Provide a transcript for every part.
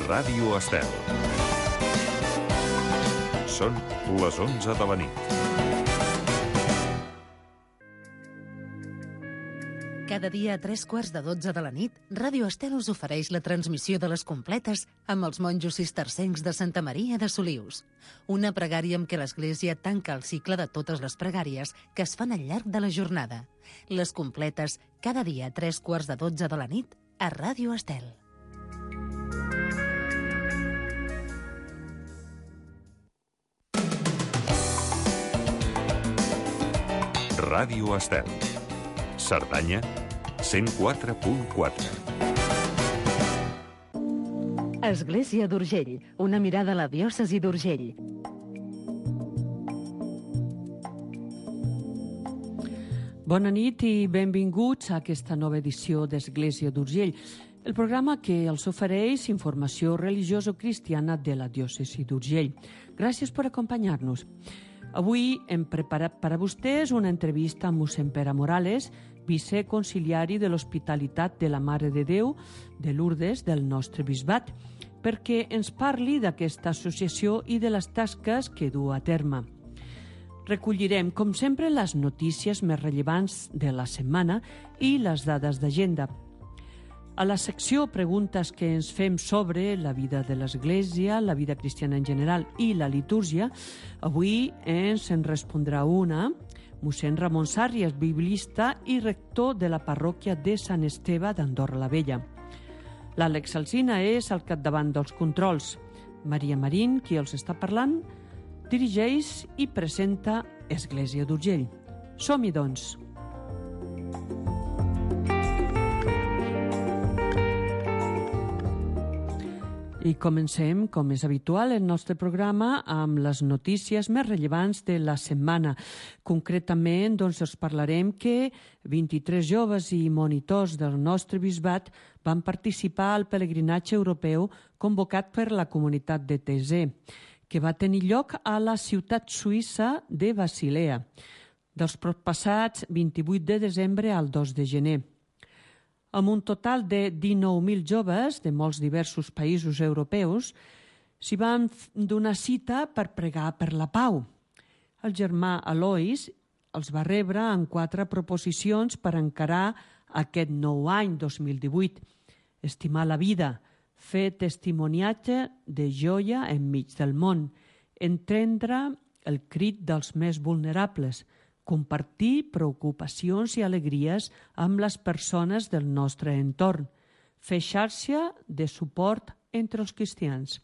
Ràdio Estel. Són les 11 de la nit. Cada dia a 3:15 de la nit, Ràdio Estel us ofereix la transmissió de les completes amb els monjos cistercencs de Santa Maria de Solius. Una pregària amb què l'Església tanca el cicle de totes les pregàries que es fan al llarg de la jornada. Les completes, cada dia a 3:15 de la nit, a Ràdio Estel. Ràdio Estel. Cerdanya, 104.4. Església d'Urgell, una mirada a la diòcesi d'Urgell. Bona nit i benvinguts a aquesta nova edició d'Església d'Urgell, el programa que els ofereix informació religioso-cristiana de la diòcesi d'Urgell. Gràcies per acompanyar-nos. Avui hem preparat per a vostès una entrevista amb mossèn Pere Morales, viceconciliari de l'Hospitalitat de la Mare de Déu de Lourdes del nostre bisbat, perquè ens parli d'aquesta associació i de les tasques que du a terme. Recollirem, com sempre, les notícies més rellevants de la setmana i les dades d'agenda. A la secció Preguntes que ens fem sobre la vida de l'Església, la vida cristiana en general i la litúrgia, avui ens en respondrà una, mossèn Ramon Sàrries, biblista i rector de la parròquia de Sant Esteve d'Andorra la Vella. L'Àlex Alsina és al capdavant dels controls. Maria Marín, qui els està parlant, dirigeix i presenta Església d'Urgell. Som-hi, doncs! I comencem, com és habitual, el nostre programa amb les notícies més rellevants de la setmana. Concretament, doncs, us parlarem que 23 joves i monitors del nostre bisbat van participar al pelegrinatge europeu convocat per la comunitat de Thésée, que va tenir lloc a la ciutat suïssa de Basilea, dels proppassats 28 de desembre al 2 de gener. Amb un total de 19.000 joves de molts diversos països europeus, s'hi van donar cita per pregar per la pau. El germà Alois els va rebre en 4 proposicions per encarar aquest nou any 2018. Estimar la vida, fer testimoniatge de joia enmig del món, entendre el crit dels més vulnerables, compartir preocupacions i alegries amb les persones del nostre entorn, fer xarxa de suport entre els cristians.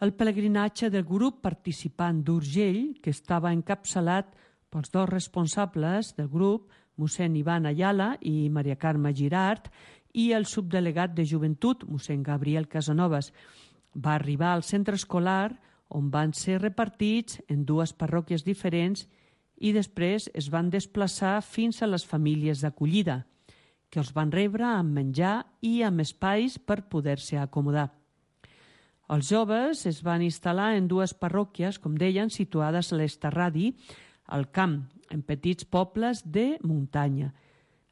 El pelegrinatge del grup participant d'Urgell, que estava encapçalat pels 2 responsables del grup, mossèn Ivan Ayala i Maria Carme Girart, i el subdelegat de joventut, mossèn Gabriel Casanovas, va arribar al centre escolar on van ser repartits en 2 parròquies diferents i després es van desplaçar fins a les famílies d'acollida, que els van rebre amb menjar i amb espais per poder-se acomodar. Els joves es van instal·lar en 2 parròquies, com deien, situades a l'Estarradi, al camp, en petits pobles de muntanya.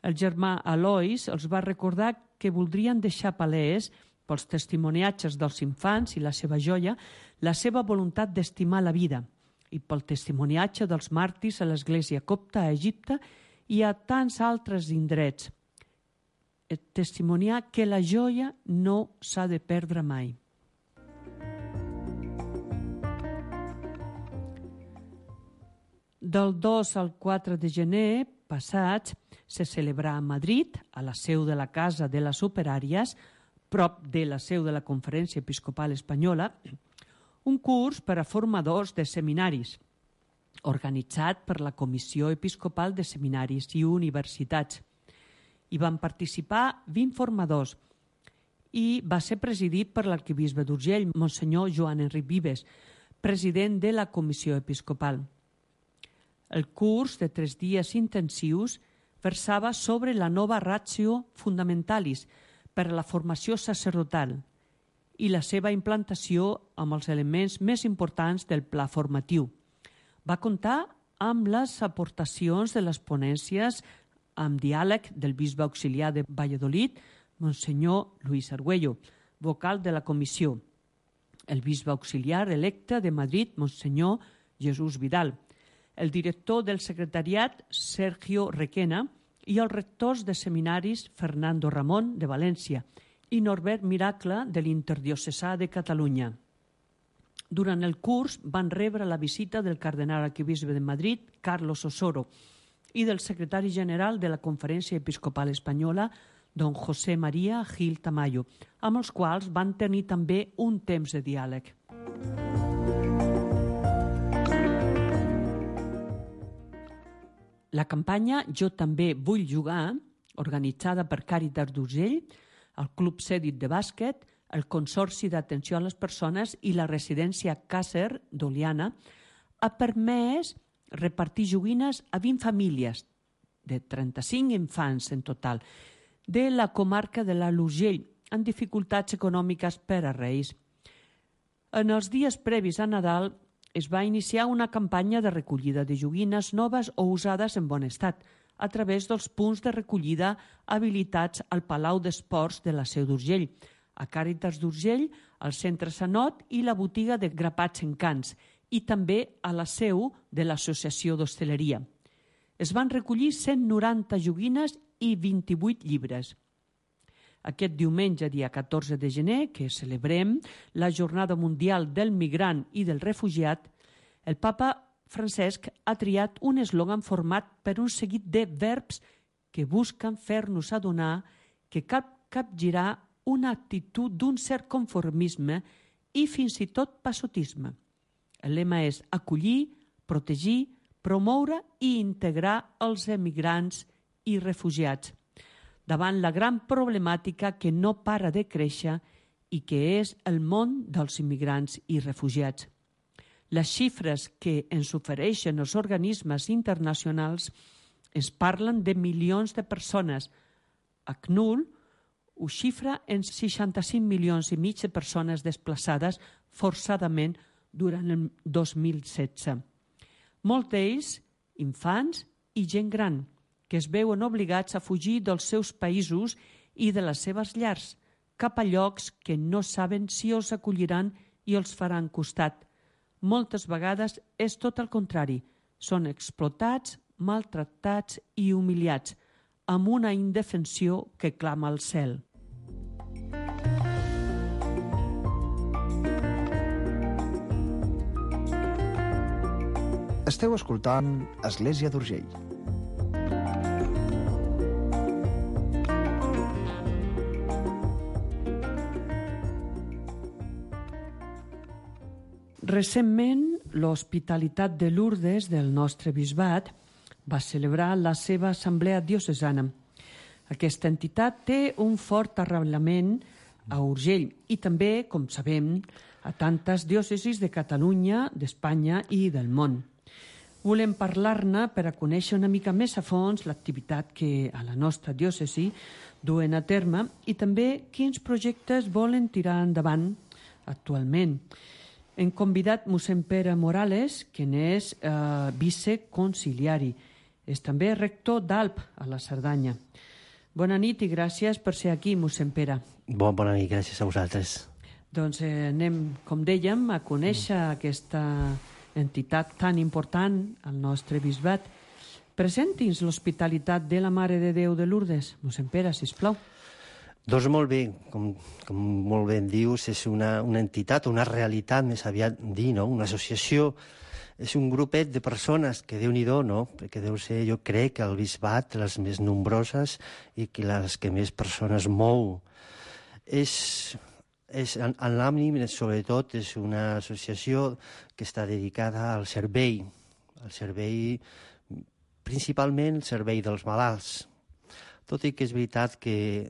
El germà Alois els va recordar que voldrien deixar palès, pels testimoniatges dels infants i la seva joia, la seva voluntat d'estimar la vida, i pel testimoniatge dels màrtirs a l'Església copta a Egipte i a tants altres indrets. Testimoniar que la joia no s'ha de perdre mai. Del 2 al 4 de gener passats se celebrà a Madrid, a la seu de la Casa de les Operàries, prop de la seu de la Conferència Episcopal Espanyola, un curs per a formadors de seminaris, organitzat per la Comissió Episcopal de Seminaris i Universitats. Hi van participar 20 formadors i va ser presidit per l'arquebisbe d'Urgell, Monsenyor Joan Enric Vives, president de la Comissió Episcopal. El curs de 3 dies intensius versava sobre la nova Ratio Fundamentalis per a la formació sacerdotal i la seva implantació amb els elements més importants del pla formatiu. Va comptar amb les aportacions de les ponències amb diàleg del bisbe auxiliar de Valladolid, Monsenyor Luis Argüello, vocal de la comissió, el bisbe auxiliar electe de Madrid, Monsenyor Jesús Vidal, el director del secretariat, Sergio Requena, i els rectors de seminaris, Fernando Ramón, de València, i Norbert Miracle, de l'Interdiocesà de Catalunya. Durant el curs van rebre la visita del cardenal arquebisbe de Madrid, Carlos Osoro, i del secretari general de la Conferència Episcopal Espanyola, don José María Gil Tamayo, amb els quals van tenir també un temps de diàleg. La campanya Jo també vull jugar, organitzada per Càritas d'Urgell, el Club Cèdit de Bàsquet, el Consorci d'Atenció a les Persones i la residència Càcer d'Oliana, ha permès repartir joguines a 20 famílies, de 35 infants en total, de la comarca de l'Alt Urgell, amb dificultats econòmiques per a Reis. En els dies previs a Nadal es va iniciar una campanya de recollida de joguines noves o usades en bon estat, a través dels punts de recollida habilitats al Palau d'Esports de la Seu d'Urgell, a Càritas d'Urgell, al Centre Sanot i la botiga de Grapats Encants, i també a la seu de l'Associació d'Hostaleria. Es van recollir 190 joguines i 28 llibres. Aquest diumenge, dia 14 de gener, que celebrem la Jornada Mundial del Migrant i del Refugiat, el papa Francesc ha triat un eslògan format per un seguit de verbs que busquen fer-nos adonar que cal capgirar una actitud d'un cert conformisme i fins i tot passotisme. El lema és acollir, protegir, promoure i integrar els emigrants i refugiats, davant la gran problemàtica que no para de créixer i que és el món dels immigrants i refugiats. Les xifres que ens ofereixen els organismes internacionals ens parlen de milions de persones. ACNUR ho xifra en 65 milions i mig de persones desplaçades forçadament durant el 2016. Molts d'ells, infants i gent gran, que es veuen obligats a fugir dels seus països i de les seves llars, cap a llocs que no saben si els acolliran i els faran costat. Moltes vegades és tot el contrari. Són explotats, maltractats i humiliats, amb una indefensió que clama al cel. Esteu escoltant Església d'Urgell. Recentment, l'Hospitalitat de Lourdes del nostre bisbat va celebrar la seva assemblea diocesana. Aquesta entitat té un fort arrelament a Urgell i també, com sabem, a tantes diòcesis de Catalunya, d'Espanya i del món. Volem parlar-ne per a conèixer una mica més a fons l'activitat que a la nostra diòcesi duen a terme i també quins projectes volen tirar endavant actualment. Hem convidat mossèn Pere Morales, que n'és viceconciliari. És també rector d'Alp, a la Cerdanya. Bona nit i gràcies per ser aquí, mossèn Pere. Bona nit, gràcies a vosaltres. Doncs anem, com dèiem, a conèixer aquesta entitat tan important al nostre bisbat. Presenti'ns l'Hospitalitat de la Mare de Déu de Lourdes. Mossèn Pere, sisplau. Doncs molt bé, com molt bé dius, és una entitat, una realitat, més aviat dir, no? Una associació, és un grupet de persones que Déu-n'hi-do, no? Perquè deu ser, jo crec, que el bisbat, les més nombroses i que les que més persones mou. En l'ànim, sobretot, és una associació que està dedicada al servei, principalment el servei dels malalts. Tot i que és veritat que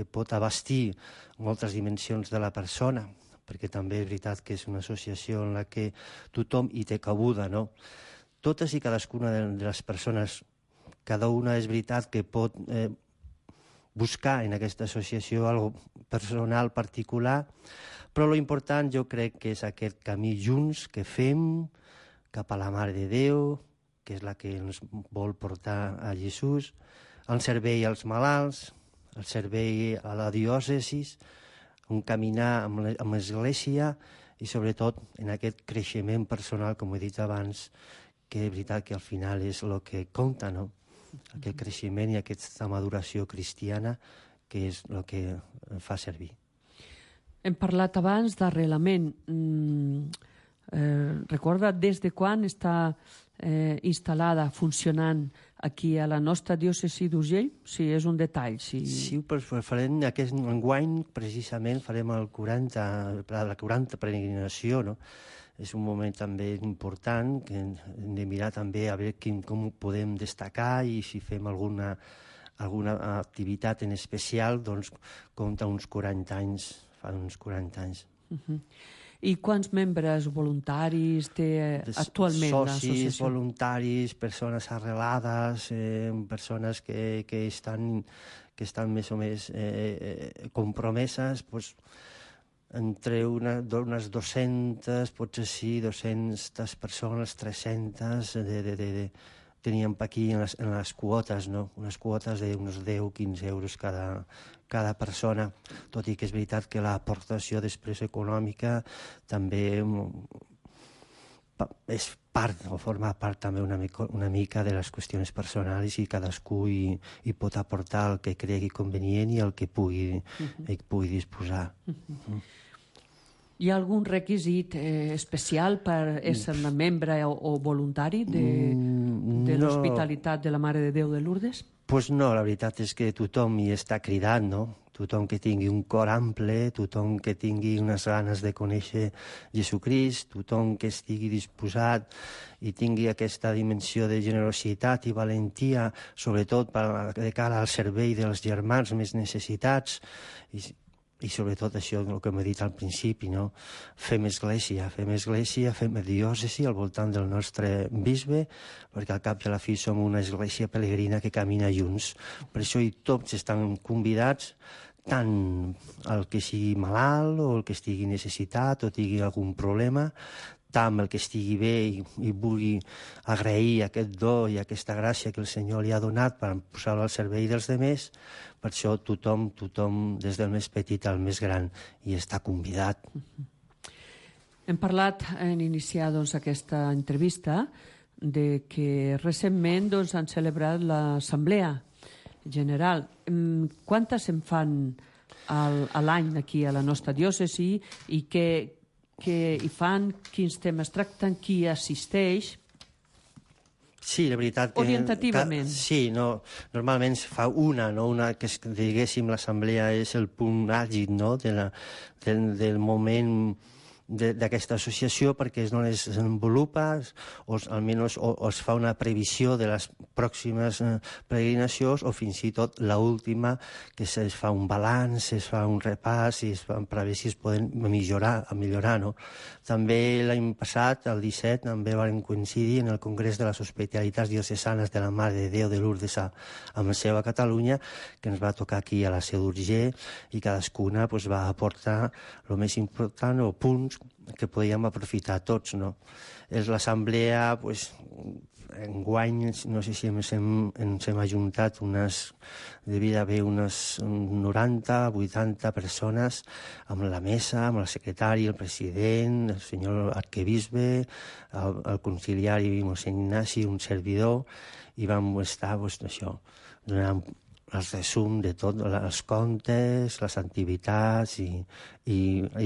pot abastir moltes dimensions de la persona, perquè també és veritat que és una associació en la que tothom hi té cabuda, no? Totes i cadascuna de les persones, cada una és veritat que pot buscar en aquesta associació algo personal, particular, però l'important jo crec que és aquest camí junts que fem cap a la Mare de Déu, que és la que ens vol portar a Jesús, el servei als malalts, el servei a la diòcesis, un caminar amb l'Església i sobretot en aquest creixement personal, com he dit abans, que és veritat que al final és el que compta, no? Aquest creixement i aquesta maduració cristiana que és el que fa servir. Hem parlat abans d'arrelament. Recorda des de quan està instal·lada, funcionant aquí a la nostra diòcesi d'Urgell? Si és un detall. Sí, farem aquest enguany, precisament, farem la 40 peregrinació, no? És un moment també important que hem de mirar també a veure com ho podem destacar i si fem alguna activitat en especial, doncs compta uns 40 anys, fa uns 40 anys. I quants membres voluntaris té actualment l'associació? Socis, voluntaris, persones arrelades, persones que estan més o més compromeses, doncs, entre unes 200, potser sí, 200 persones, 300, teníem aquí en les quotes, no? Unes quotes d'uns 10-15 euros cada persona, tot i que és veritat que l'aportació després econòmica també és part, o forma part també una mica de les qüestions personals i cadascú hi pot aportar el que cregui convenient i el que pugui disposar. Hi ha algun requisit especial per ser membre o voluntari de l'Hospitalitat de la Mare de Déu de Lourdes? Doncs no, la veritat és que tothom hi està cridat, no? Tothom que tingui un cor ample, tothom que tingui unes ganes de conèixer Jesucrist, tothom que estigui disposat i tingui aquesta dimensió de generositat i valentia, sobretot de cara al servei dels germans més necessitats, i sobretot això, el que m'he dit al principi, no? Fem església, fem diòcesi al voltant del nostre bisbe, perquè al cap i a la fi som una església pelegrina que camina junts. Per això tots estan convidats, tant el que sigui malalt o el que estigui necessitat o tingui algun problema, tant el que estigui bé i vulgui agrair aquest do i aquesta gràcia que el Senyor li ha donat per posar-lo al servei dels demés. Per això tothom, des del més petit al més gran, hi està convidat. Hem parlat, en iniciar aquesta entrevista, de que recentment han celebrat l'Assemblea General. Quantes se'n fan a l'any aquí a la nostra diòcesi i què hi fan, quins temes tracten, qui assisteix? Sí, la veritat que... Orientativament. Sí, normalment se fa una que diguéssim l'assemblea és el punt àlgid, no?, del moment d'aquesta associació, perquè és on es desenvolupa o almenys es fa una previsió de les pròximes peregrinacions o fins i tot l'última, que es fa un balanç, es fa un repàs i es fa per veure si es poden millorar, no? També l'any passat, el 17, també vam coincidir en el Congrés de les Hospitalitats Diocesanes de la Mare de Déu de Lourdes amb la seva Catalunya, que ens va tocar aquí a la Seu d'Urgell, i cadascuna va aportar el més important o punts que podíem aprofitar tots, no? És l'assemblea, enguany, no sé si ens hem ajuntat devia haver unes 90, 80 persones amb la mesa, amb el secretari, el president, el senyor arquebisbe, el conciliari mossèn Ignasi, un servidor, i vam estar, això, donant el resum de tot, els comptes, les activitats i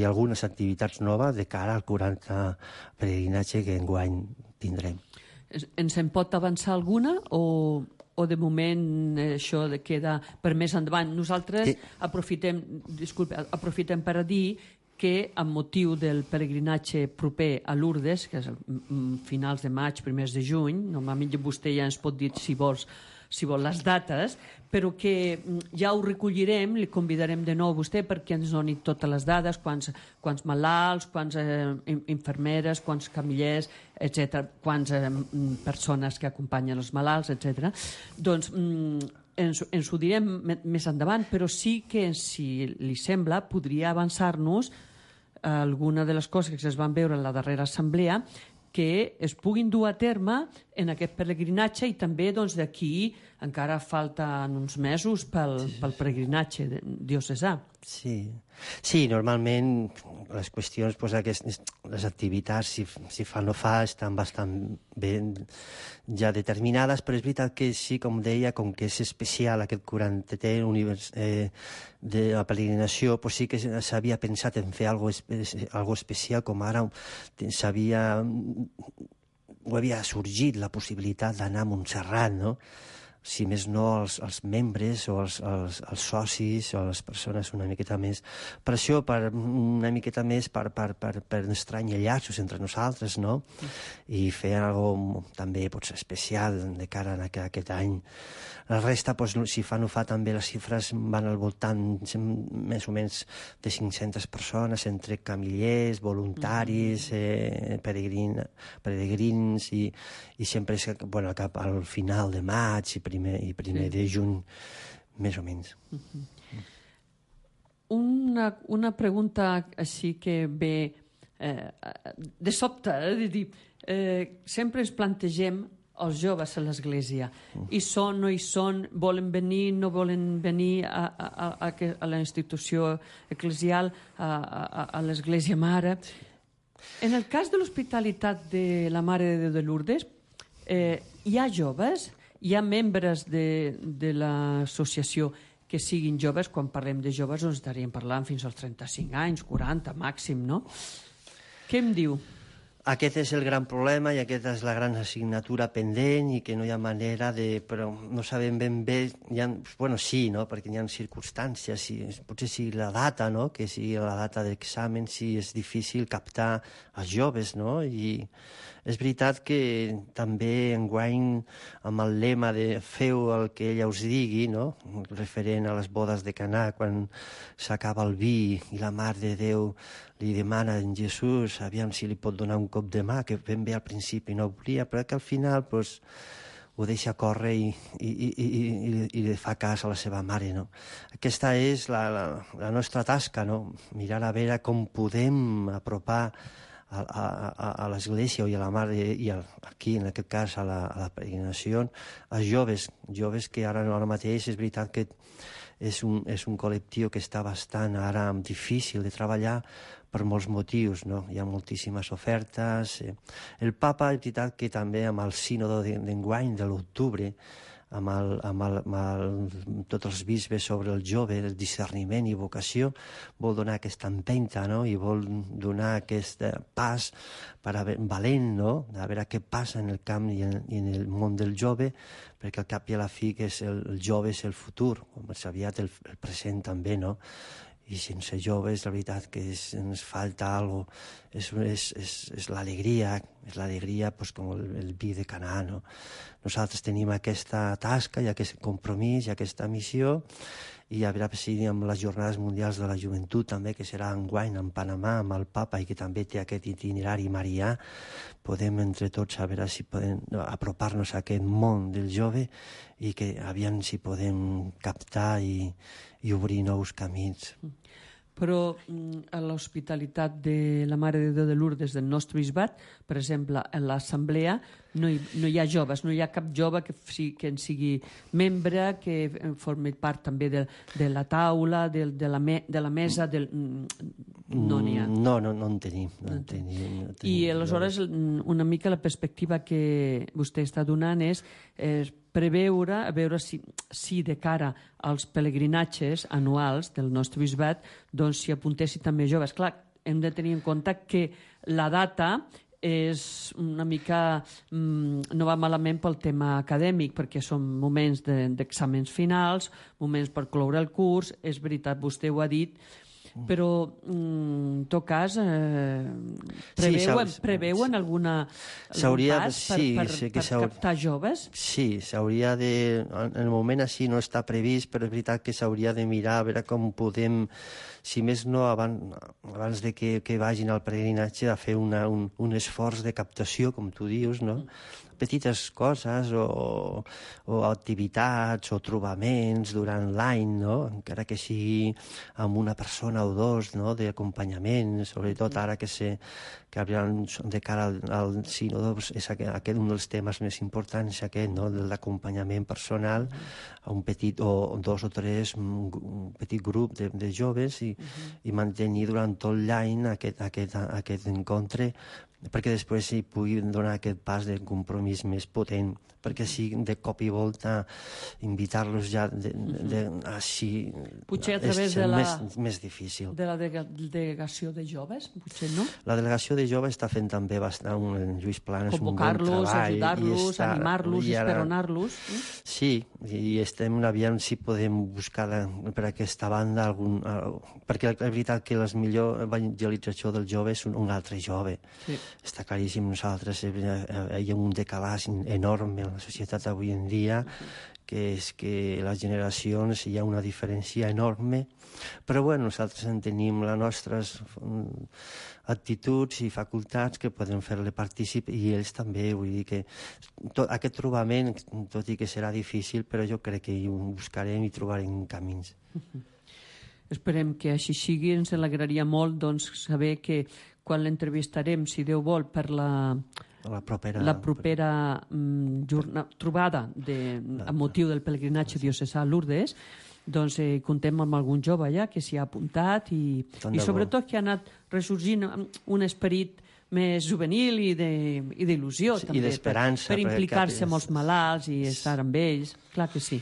algunes activitats noves de cara al 40 peregrinatge que enguany tindrem. Ens en pot avançar alguna o de moment això queda per més endavant? Nosaltres aprofitem per a dir que amb motiu del peregrinatge proper a Lourdes, que és finals de maig, primers de juny, normalment vostè ja ens pot dir si vol les dates, però que ja ho recollirem, li convidarem de nou a vostè perquè ens doni totes les dades, quants malalts, quants infermeres, quants camillers, etc., quants persones que acompanyen els malalts, etc. Doncs ens ho direm més endavant, però sí que, si li sembla, podria avançar-nos alguna de les coses que es van veure en la darrera assemblea que es puguin dur a terme en aquest peregrinatge i també d'aquí encara falten uns mesos pel peregrinatge diocesà. Sí, normalment les qüestions, les activitats, si fa o no fa, estan bastant ben ja determinades, però és veritat que sí, com deia, com que és especial aquest 40è de la peregrinació, sí que s'havia pensat en fer algo especial, com ara havia sorgit la possibilitat d'anar a Montserrat, no? Si més no, els membres o els socis o les persones una miqueta més. Per això, una miqueta més per estranyar llaços entre nosaltres, no? I fer alguna cosa també potser especial de cara a aquest any. La resta, si fa o no fa, també les xifres van al voltant més o menys de 500 persones, entre camillers, voluntaris, peregrins, i sempre és cap al final de maig i primer de juny, més o menys. Una pregunta així que ve de sobte, de dir, sempre ens plantegem els joves a l'església. Hi són, no hi són, volen venir, no volen venir a la institució eclesial, a l'església mare. En el cas de l'hospitalitat de la Mare de Déu de Lourdes, hi ha joves, hi ha membres de l'associació que siguin joves. Quan parlem de joves ens estaríem parlant fins als 35 anys, 40 màxim, no? Què em diu? Aquest és el gran problema i aquesta és la gran assignatura pendent i que no hi ha manera de... Però no sabem ben bé... Sí, no? Perquè hi ha circumstàncies, potser sigui la data, no? Que sigui la data d'examen, si és difícil captar els joves, no? I és veritat que també enguany, amb el lema de feu el que ella us digui, no? Referent a les bodes de Canà, quan s'acaba el vi i la Mare de Déu li demana a Jesús aviam si li pot donar un cop de mà, que ben bé al principi no volia, però que al final ho deixa córrer i li fa cas a la seva mare, no? Aquesta és la nostra tasca, no? Mirar a veure com podem apropar a l'església i a la mare, i aquí en aquest cas a la peregrinació, als joves que ara mateix és veritat que és un col·lectiu que està bastant ara difícil de treballar per molts motius, no? Hi ha moltíssimes ofertes. El papa, és veritat que també amb el sínodo d'enguany de l'octubre, amb tots els bisbes sobre el jove, el discerniment i vocació, vol donar aquesta empenta, no? I vol donar aquest pas valent, no? A veure què passa en el camp i en el món del jove, perquè al cap i a la fi que el jove és el futur, com més aviat el present també, no? I sense joves, la veritat que ens falta alguna cosa, és l'alegria, com el vi de Canà, no? Nosaltres tenim aquesta tasca i aquest compromís i aquesta missió, i a veure si amb les Jornades Mundials de la Joventut també, que serà enguany en Panamà amb el Papa i que també té aquest itinerari marià, podem entre tots a veure si podem apropar-nos a aquest món del jove i que aviam si podem captar i obrir nous camins. Però a l'hospitalitat de la Mare de Déu de Lourdes del nostre bisbat, per exemple, a l'assemblea no hi ha joves, no hi ha cap jove que en sigui membre, que formi part també de la taula, de la mesa, no n'hi ha. No en tenim. I aleshores una mica la perspectiva que vostè està donant és preveure, a veure si de cara als pelegrinatges anuals del nostre bisbat doncs s'hi apuntessin també joves. Clar, hem de tenir en compte que la data és una mica... no va malament pel tema acadèmic, perquè són moments d'exàmens finals, moments per cloure el curs, és veritat, vostè ho ha dit, però en tot cas preveuen alguna pas per captar joves? Sí, s'hauria de... En el moment així no està previst, però és veritat que s'hauria de mirar a veure com podem, si més no abans de que vagin al peregrinatge, a fer un esforç de captació, com tu dius, no? petites coses o activitats o trobaments durant l'any, no? Encara que sigui amb una persona o dos, no? D'acompanyament, sobretot ara que de cara al sínode és aquest un dels temes més importants, aquest, no? De l'acompanyament personal a un petit o dos o tres, un petit grup de joves i mantenir durant tot l'any aquest encontre perquè després s'hi pugui donar aquest pas de compromís més potent, perquè si de cop i volta invitar-los ja així és més difícil. De la delegació de joves, potser no? La delegació de joves està fent també bastant, en Lluís Planes, un bon treball. Convocar-los, ajudar-los, animar-los, esperonar-los. Sí, i estem aviam si podem buscar per aquesta banda perquè la veritat que la millor evangelització del jove és un altre jove. Sí. Està claríssim, nosaltres hi ha un decalàs enorme en la societat avui en dia, que és que les generacions hi ha una diferència enorme, però bueno, nosaltres en tenim les nostres actituds i facultats que podem fer-le partícip i ells també, vull dir que aquest trobament, tot i que serà difícil, però jo crec que ho buscarem i trobarem camins. Esperem que així sigui. Ens alegraria molt saber que quan l'entrevistarem, si Déu vol, per la propera trobada amb motiu del pelegrinatge diocesà a Lourdes, doncs contem amb algun jove allà que s'hi ha apuntat i sobretot que ha anat ressorgint un esperit més juvenil i d'il·lusió també, per implicar-se amb els malalts i estar amb ells, clar que sí.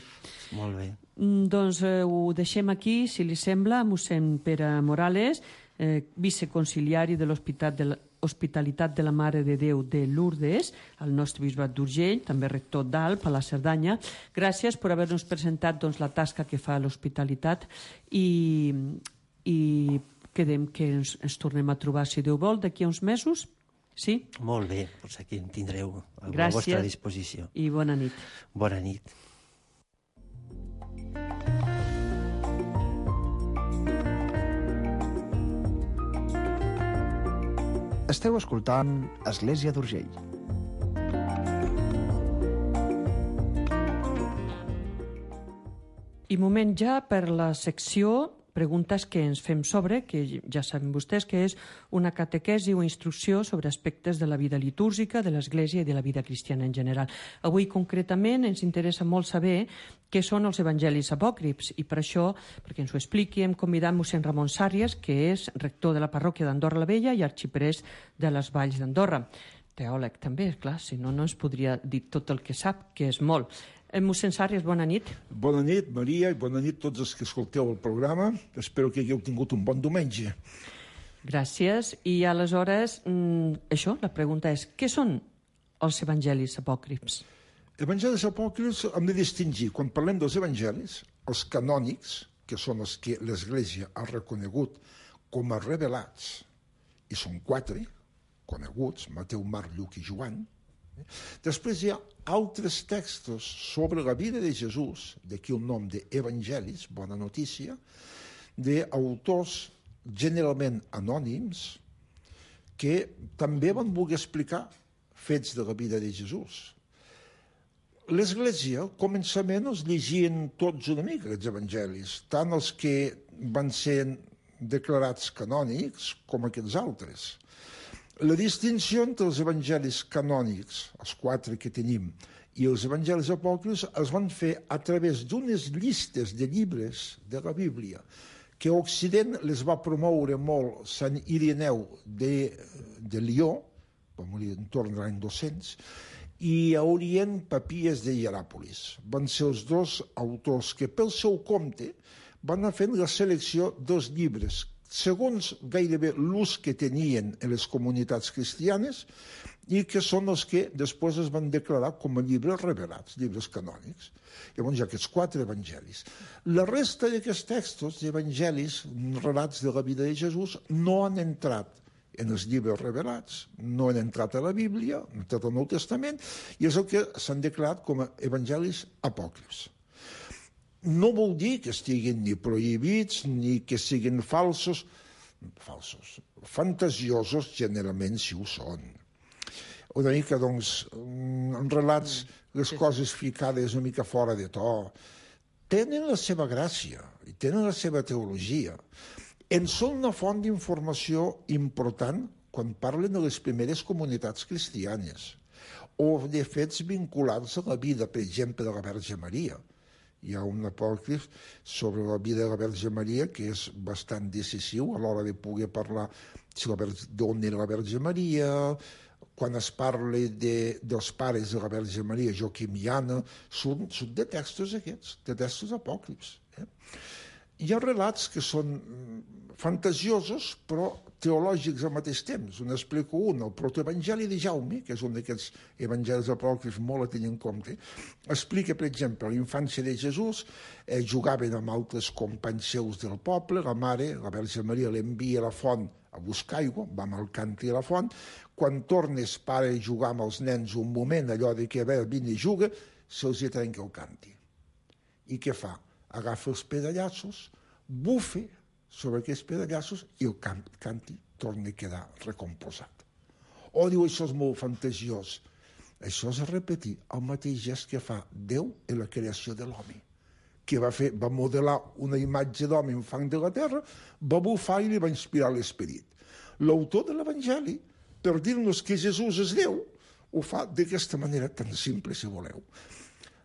Molt bé. Doncs ho deixem aquí, si li sembla, mossèn Pere Morales, viceconciliari de l'Hospitalitat de la Mare de Déu de Lourdes, al nostre bisbat d'Urgell, també rector d'Alp, a la Cerdanya. Gràcies per haver-nos presentat la tasca que fa l'Hospitalitat i quedem que ens tornem a trobar, si Déu vol, d'aquí a uns mesos. Sí? Molt bé, doncs aquí en tindreu a la vostra disposició. I bona nit. Bona nit. Esteu escoltant Església d'Urgell. I moment ja per la secció preguntes que ens fem sobre, que ja saben vostès que és una catequesi o instrucció sobre aspectes de la vida litúrgica, de l'Església i de la vida cristiana en general. Avui, concretament, ens interessa molt saber què són els evangelis apòcrifs i per això, perquè ens ho expliqui, hem convidat mossèn Ramon Sàrries, que és rector de la parròquia d'Andorra la Vella i arxiprés de les Valls d'Andorra. Teòleg també, clar, si no, no ens podria dir tot el que sap, que és molt. Mossèn Sàrries, bona nit. Bona nit, Maria, i bona nit a tots els que escolteu el programa. Espero que hagueu tingut un bon diumenge. Gràcies. I aleshores, això, la pregunta és, què són els evangelis apòcrifs? Evangelis apòcrifs hem de distingir, quan parlem dels evangelis, els canònics, que són els que l'Església ha reconegut com a revelats, i són 4 coneguts, Mateu, Marc, Lluc i Joan. Després hi ha altres textos sobre la vida de Jesús, d'aquí el nom d'evangelis, bona notícia, d'autors generalment anònims que també van voler explicar fets de la vida de Jesús. L'Església, al començament, els llegien tots una mica, els evangelis, tant els que van ser declarats canònics com aquests altres. La distinció entre els evangelis canònics, els 4 que tenim, i els evangelis apòcrifs es van fer a través d'unes llistes de llibres de la Bíblia, que a Occident les va promoure molt Sant Ireneu de Lió, va morir entorn de l'any 200, i a Orient Papies de Hieràpolis. Van ser els 2 autors que pel seu compte van anar fent la selecció dels llibres segons gairebé l'ús que tenien en les comunitats cristianes i que són els que després es van declarar com a llibres revelats, llibres canònics. Llavors hi ha aquests 4 evangelis. La resta d'aquests textos d'evangelis, relats de la vida de Jesús, no han entrat en els llibres revelats, no han entrat a la Bíblia, han entrat al Nou Testament, i és el que s'han declarat com a evangelis apòcrifs. No vol dir que estiguin ni prohibits ni que siguin falsos, fantasiosos generalment si ho són. una mica, doncs, en relats, les coses ficades una mica fora de to, tenen la seva gràcia i tenen la seva teologia. En són una font d'informació important quan parlen de les primeres comunitats cristianes o de fets vinculats a la vida, per exemple, de la Verge Maria. Hi ha un apòcrif sobre la vida de la Verge Maria que és bastant decisiu a l'hora de poder parlar d'on era la Verge Maria, quan es parla dels pares de la Verge Maria, Joaquim i Anna, són de textos aquests, de textos apòcrifs. Hi ha relats que són fantasiosos, però teològics al mateix temps. Un explico un, el protoevangeli de Jaume, que és un d'aquests evangelis apòcrifs molt a tenir en compte, explica, per exemple, la infància de Jesús, jugaven amb altres companys seus del poble, la mare, la Verge Maria, l'envia a la font a buscar aigua, va amb el càntir a la font, quan tornes pare a jugar amb els nens un moment, allò de que vine i juga, se'ls hi trenca el càntir. I què fa? Agafa els pedallassos, bufa sobre aquests pedallassos i el càntir torna a quedar recomposat. O diu, això és molt fantasiós. Això és repetir el mateix gest que fa Déu en la creació de l'home, que va modelar una imatge d'home en fang de la terra, va bufar i li va inspirar l'esperit. L'autor de l'Evangeli, per dir-nos que Jesús és Déu, ho fa d'aquesta manera tan simple, si voleu.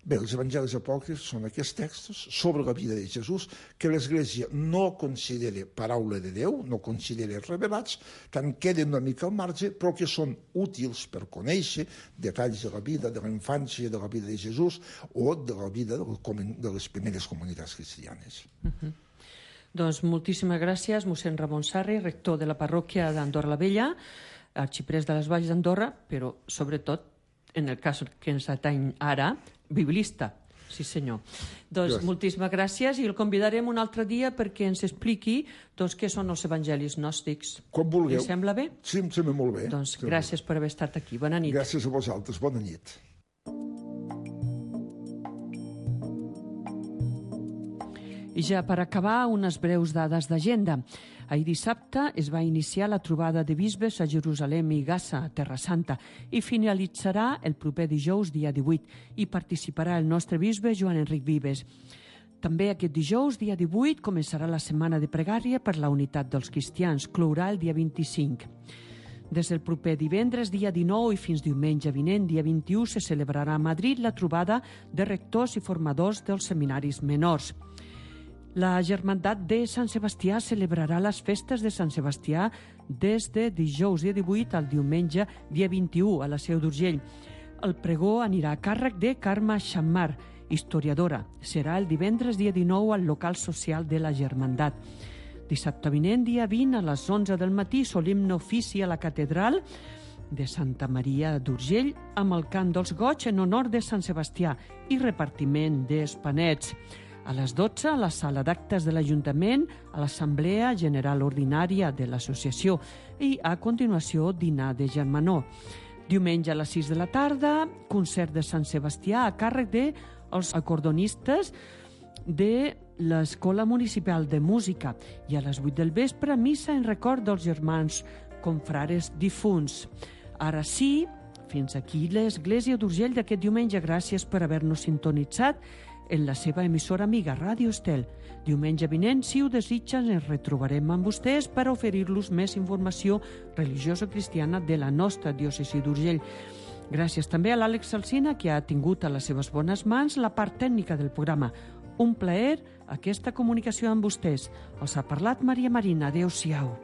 Bé, els evangelis apòcrifs són aquests textos sobre la vida de Jesús que l'Església no considera paraula de Déu, no considera revelats, que en queden una mica al marge, però que són útils per conèixer detalls de la vida, de la infància, de la vida de Jesús o de la vida de les primeres comunitats cristianes. Doncs moltíssimes gràcies, mossèn Ramon Sarri, rector de la parròquia d'Andorra la Vella, arxiprés de les Valls d'Andorra, però sobretot, en el cas que ens ateny ara, biblista, sí senyor. Doncs moltíssimes gràcies i el convidarem un altre dia perquè ens expliqui què són els evangelis gnòstics. Com vulgueu. Li sembla bé? Sí, em sembla molt bé. Doncs gràcies per haver estat aquí. Bona nit. Gràcies a vosaltres. Bona nit. I ja per acabar, unes breus dades d'agenda. Ahir dissabte es va iniciar la trobada de bisbes a Jerusalem i Gaza, a Terra Santa, i finalitzarà el proper dijous, dia 18, i participarà el nostre bisbe Joan Enric Vives. També aquest dijous, dia 18, començarà la setmana de pregària per la unitat dels cristians, clourà el dia 25. Des del proper divendres, dia 19, i fins diumenge vinent, dia 21, se celebrarà a Madrid la trobada de rectors i formadors dels seminaris menors. La Germandat de Sant Sebastià celebrarà les festes de Sant Sebastià des de dijous, dia 18, al diumenge, dia 21, a la Seu d'Urgell. El pregó anirà a càrrec de Carme Xammar, historiadora. Serà el divendres, dia 19, al local social de la Germandat. Dissabte vinent, dia 20, a les 11 del matí, solemne ofici a la catedral de Santa Maria d'Urgell amb el cant dels goig en honor de Sant Sebastià i repartiment d'espanets. A les 12, a la sala d'actes de l'Ajuntament, a l'Assemblea General Ordinària de l'Associació i, a continuació, dinar de germanor. Diumenge a les 6 de la tarda, concert de Sant Sebastià a càrrec dels acordonistes de l'Escola Municipal de Música i a les 8 del vespre, missa en record dels germans confrares difunts. Ara sí, fins aquí l'Església d'Urgell d'aquest diumenge. Gràcies per haver-nos sintonitzat en la seva emissora amiga Ràdio Estel. Diumenge vinent, si ho desitgen, ens retrobarem amb vostès per oferir-los més informació religiosa cristiana de la nostra diòcesi d'Urgell. Gràcies també a l'Àlex Alsina, que ha tingut a les seves bones mans la part tècnica del programa. Un plaer aquesta comunicació amb vostès. Els ha parlat Maria Marina. Adéu-siau.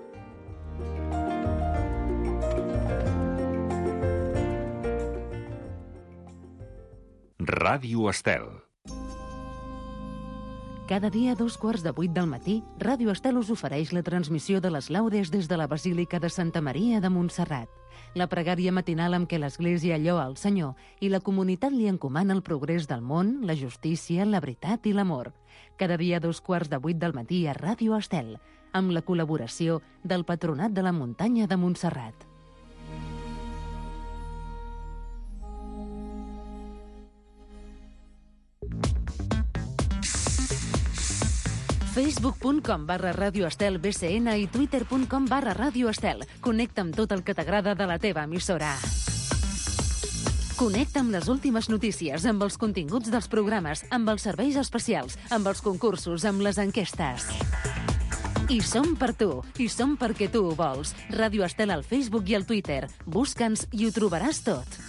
Ràdio Estel. Cada dia a 2:15 del matí, Ràdio Estel us ofereix la transmissió de les laudes des de la Basílica de Santa Maria de Montserrat. La pregària matinal amb què l'Església lloa el Senyor i la comunitat li encomana el progrés del món, la justícia, la veritat i l'amor. Cada dia a 2:15 del matí a Ràdio Estel, amb la col·laboració del Patronat de la Muntanya de Montserrat. facebook.com/radioestelbcn i twitter.com/radioestel. Connecta amb tot el que t'agrada de la teva emissora. Connecta amb les últimes notícies, amb els continguts dels programes, amb els serveis especials, amb els concursos, amb les enquestes. I som per tu, i som perquè tu ho vols. Ràdio Estel al Facebook i al Twitter. Busca'ns i ho trobaràs tot.